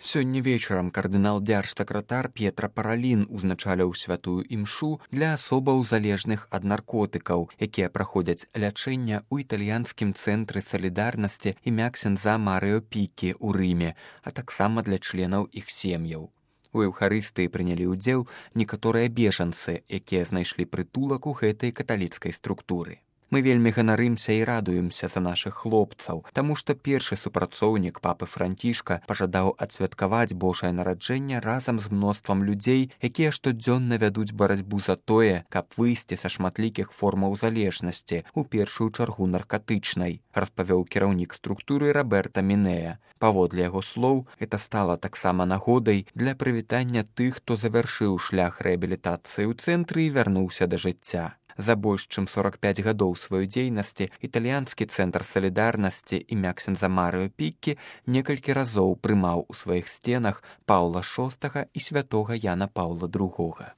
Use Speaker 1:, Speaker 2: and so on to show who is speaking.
Speaker 1: Сёння вечарам кардынал дзяржсакратар П'етра Паралін узначаліў святую імшу для асобаў залежных ад наркотыкаў, якія праходзяць лячэнне ў італьянскім цэнтры салідарнасці імя ксяндза Марыо Пікі ў Рыме, а таксама для членаў іх сем'яў. У эўхарыстыі прынялі ўдзел некаторыя бежанцы, якія знайшлі прытулак у гэтай каталіцкай структуры. Мы вельмі ганарымся і радуемся за нашых хлопцаў, таму што першы супрацоўнік папы Францішка пажадаў адсвяткаваць Божае нараджэнне разам з мноствам людзей, якія штодзённа вядуць барацьбу за тое, каб выйсці са шматлікіх формаў залежнасці, у першую чаргу наркатычнай, распавёў кіраўнік структуры Роберта Мінея. Паводле яго слоў, гэта стала таксама нагодай для прывітання тых, хто завяршыў шлях рэабілітацыі ў цэнтры і вярнуўся да жыцця. За больш чым 45 гадоў сваёй дзейнасці італьянскі цэнтр салідарнасці імя ксяндза Марыо Пікі некалькі разоў прымаў у сваіх сценах Паўла VI і святога Яна Паўла II.